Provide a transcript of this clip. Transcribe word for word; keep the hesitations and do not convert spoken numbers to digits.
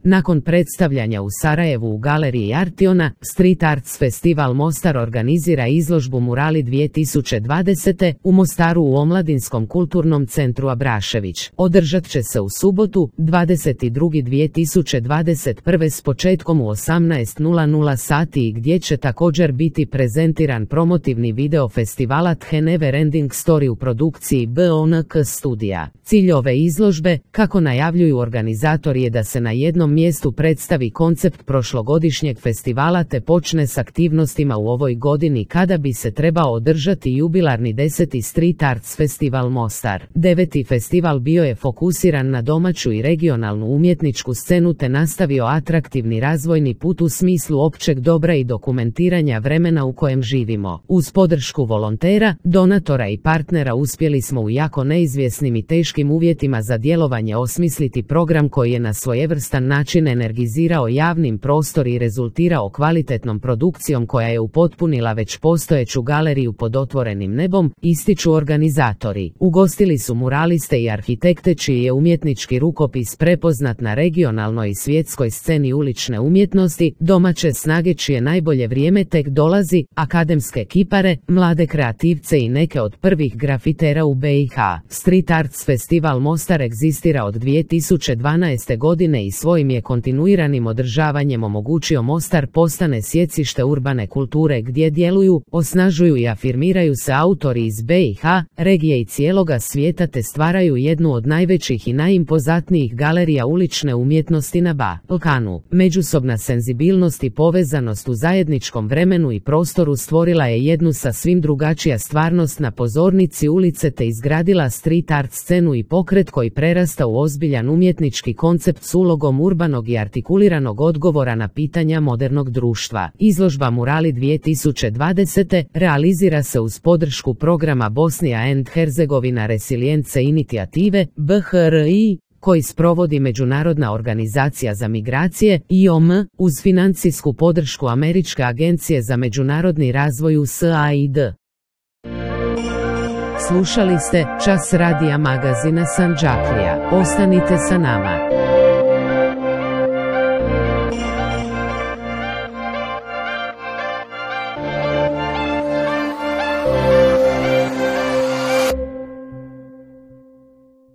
Nakon predstavljanja u Sarajevu u galeriji Artiona, Street Arts Festival Mostar organizira izložbu Murali dvije tisuće dvadesete u Mostaru u Omladinskom kulturnom centru Abrašević. Održat će se u subotu, dvadeset drugi dvije tisuće dvadeset prve s početkom u osamnaest sati i gdje će također biti prezentiran promotivni video festivala The Never Ending Story u produkciji B O N K studija. Cilj ove izložbe, kako najavljuju organizatori, je da se na jednom mjestu predstavi koncept prošlogodišnjeg festivala te počne s aktivnostima u ovoj godini kada bi se trebao održati jubilarni deseti Street Arts Festival Mostar. Deveti festival bio je fokusiran na domaću i regionalnu umjetničku scenu te nastavio atraktivni razvojni put u smislu općeg dobra i dokumentiranja vremena u kojem živimo. Uz podršku volontera, donatora i partnera uspjeli smo u jako neizvjesnim i teškim uvjetima za djelovanje osmisliti program koji je na svojevrstan način energizirao javnim prostor i rezultirao kvalitetnom produkcijom koja je upotpunila već postojeću galeriju pod otvorenim nebom, ističu organizatori. Ugostili su muraliste i arhitekte čiji je umjetnički rukopis prepoznat na regionalnoj i svjetskoj sceni ulične umjetnosti, domaće snage čije najbolje vrijeme tek dolazi, akademske kipare, mlade kreativce i neke od prvih grafitera u B i H. Street Arts Festival Mostar egzistira od dvije tisuće dvanaeste godine i svojim je kontinuiranim održavanjem omogućio Mostar postane sjecište urbane kulture gdje djeluju, osnažuju i afirmiraju se autori iz B i H, regije i cijeloga svijeta te stvaraju jednu od najvećih i najimpozantnijih galerija ulične umjetnosti na Balkanu. Međusobna senzibilnost i povezanost u zajedničkom vremenu i prostoru stvorila je jednu sasvim drugačija stvarnost na pozornici ulice te izgradila street art scenu i pokret koji prerasta u ozbiljan umjetnički koncept s ulogom urbanog i artikuliranog odgovora na pitanja modernog društva. Izložba Murali dvije tisuće dvadesete realizira se uz podršku programa Bosnia and Herzegovina Resilience Inicijative B H R I, koji sprovodi Međunarodna organizacija za migracije I O M, uz financijsku podršku Američke agencije za međunarodni razvoj U S A I D. Slušali ste Čas radija magazina Sandžaklija. Ostanite sa nama.